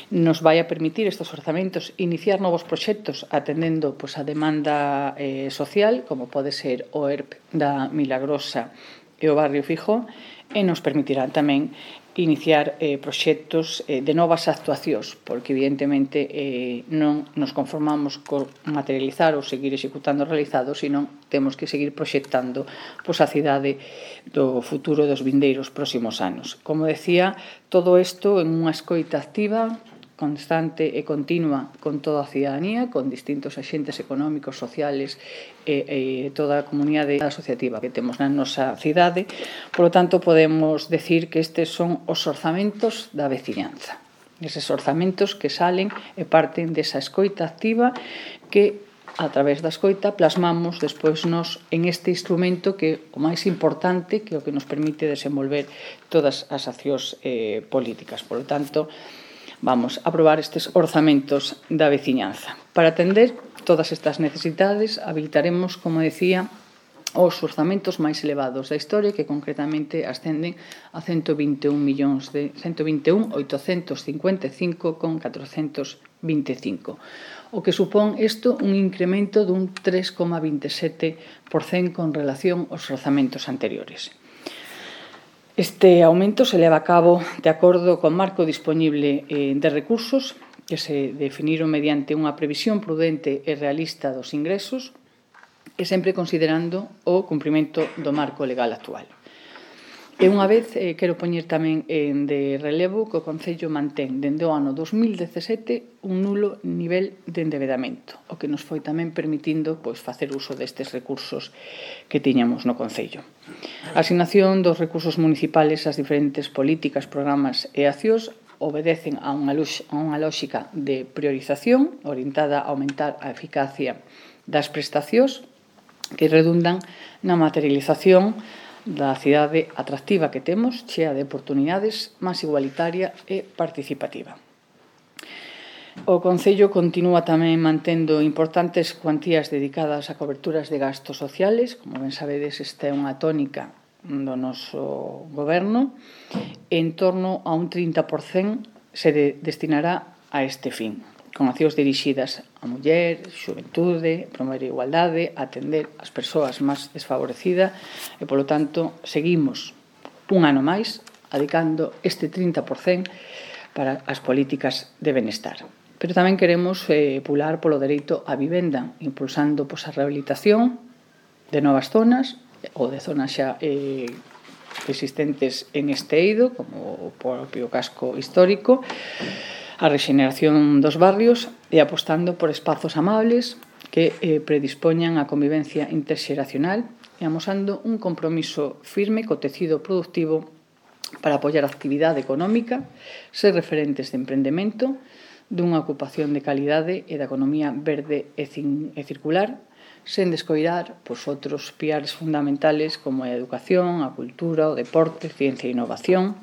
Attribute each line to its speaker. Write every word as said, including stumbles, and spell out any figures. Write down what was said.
Speaker 1: nos vai a permitir estes orzamentos iniciar novos proxectos atendendo pois, a demanda eh, social, como pode ser o E R P da Milagrosa e o Barrio Fijó, e nos permitirá tamén iniciar eh, proxectos eh, de novas actuacións, porque evidentemente eh, non nos conformamos con materializar ou seguir executando o realizado, sino temos que seguir proxectando pois, a cidade do futuro dos vindeiros próximos anos. Como decía, todo isto en unha escoita activa, constante e continua con toda a cidadanía, con distintos axentes económicos, sociales e, e toda a comunidade asociativa que temos na nosa cidade. Por lo tanto, podemos decir que estes son os orzamentos da veciñanza. Eses orzamentos que salen e parten desa escoita activa que, a través da escoita, plasmamos despois nos en este instrumento que é o máis importante, que é o que nos permite desenvolver todas as accións eh, políticas. Por lo tanto, vamos a aprobar estes orzamentos da veciñanza. Para atender todas estas necesidades, habilitaremos, como decía, os orzamentos máis elevados da historia, que concretamente ascenden a ciento vinte e un millóns de ciento vinte e un mil oitocentos cincuenta e cinco con catrocentos vinte e cinco, o que supón isto un incremento dun tres coma vinte e sete por cento con relación aos orzamentos anteriores. Este aumento se leva a cabo de acordo co marco disponible de recursos que se definiron mediante unha previsión prudente e realista dos ingresos e sempre considerando o cumprimento do marco legal actual. E unha vez, eh, quero poñer tamén en de relevo que o Concello mantén dende o ano dos mil dezasete un nulo nivel de endebedamento, o que nos foi tamén permitindo pois, facer uso destes recursos que tiñamos no Concello. A asignación dos recursos municipales ás diferentes políticas, programas e accións obedecen a unha, a unha lógica de priorización orientada a aumentar a eficacia das prestacións que redundan na materialización da cidade atractiva que temos, chea de oportunidades, máis igualitaria e participativa. O Concello continúa tamén mantendo importantes cuantías dedicadas a coberturas de gastos sociales. Como ben sabedes, esta é unha tónica do noso goberno. En torno a un trinta por cento se destinará a este fin, con accións dirixidas a muller, xuventude, promover a igualdade, atender as persoas máis desfavorecidas e, polo tanto, seguimos un ano máis adicando este trinta por cento para as políticas de benestar. Pero tamén queremos eh, pular polo dereito á vivenda, impulsando pois, a rehabilitación de novas zonas ou de zonas xa eh, existentes en este eido, como o propio casco histórico, a rexeneración dos barrios e apostando por espazos amables que eh, predispoñan a convivencia interxeracional e amosando un compromiso firme co tecido productivo para apoiar a actividade económica, ser referentes de emprendemento, dunha ocupación de calidade e da economía verde e, e circular, sen descoidar pois, outros piares fundamentales como a educación, a cultura, o deporte, ciencia e innovación,